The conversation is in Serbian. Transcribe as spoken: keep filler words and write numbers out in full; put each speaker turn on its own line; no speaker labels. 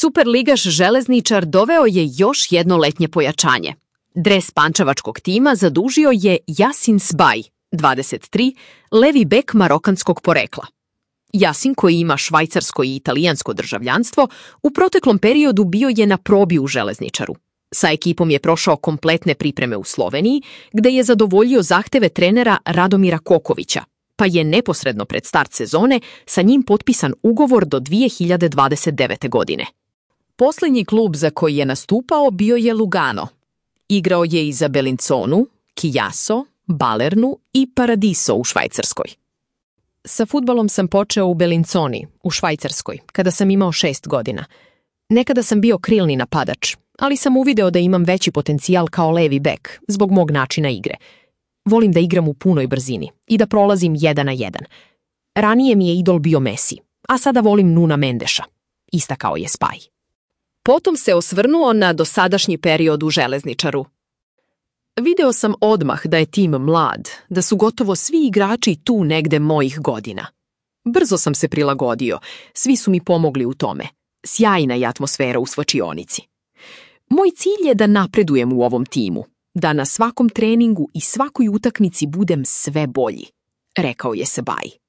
Superligaš Železničar doveo je još jedno letnje pojačanje. Dres pančevačkog tima zadužio je Yasin Sbaj, dvadeset tri, levi bek marokanskog porekla. Yasin, koji ima švajcarsko i italijansko državljanstvo, u proteklom periodu bio je na probi u Železničaru. Sa ekipom je prošao kompletne pripreme u Sloveniji, gde je zadovoljio zahteve trenera Radomira Kokovića, pa je neposredno pred start sezone sa njim potpisan ugovor do dvije hiljade dvadeset devete. godine. Posljednji klub za koji je nastupao bio je Lugano. Igrao je i za Bellinzonu, Chiasso, Balernu i Paradiso u Švajcarskoj. Sa fudbalom sam počeo u Bellinzoni, u Švajcarskoj, kada sam imao šest godina. Nekada sam bio krilni napadač, ali sam uvideo da imam veći potencijal kao levi bek, zbog mog načina igre. Volim da igram u punoj brzini i da prolazim jedan na jedan. Ranije mi je idol bio Messi, a sada volim Nuna Mendeša, istakao je Spaj. Potom se osvrnuo na dosadašnji period u Železničaru. Video sam odmah da je tim mlad, da su gotovo svi igrači tu negde mojih godina. Brzo sam se prilagodio, svi su mi pomogli u tome. Sjajna je atmosfera u svlačionici. Moj cilj je da napredujem u ovom timu, da na svakom treningu i svakoj utakmici budem sve bolji, rekao je Sbaj.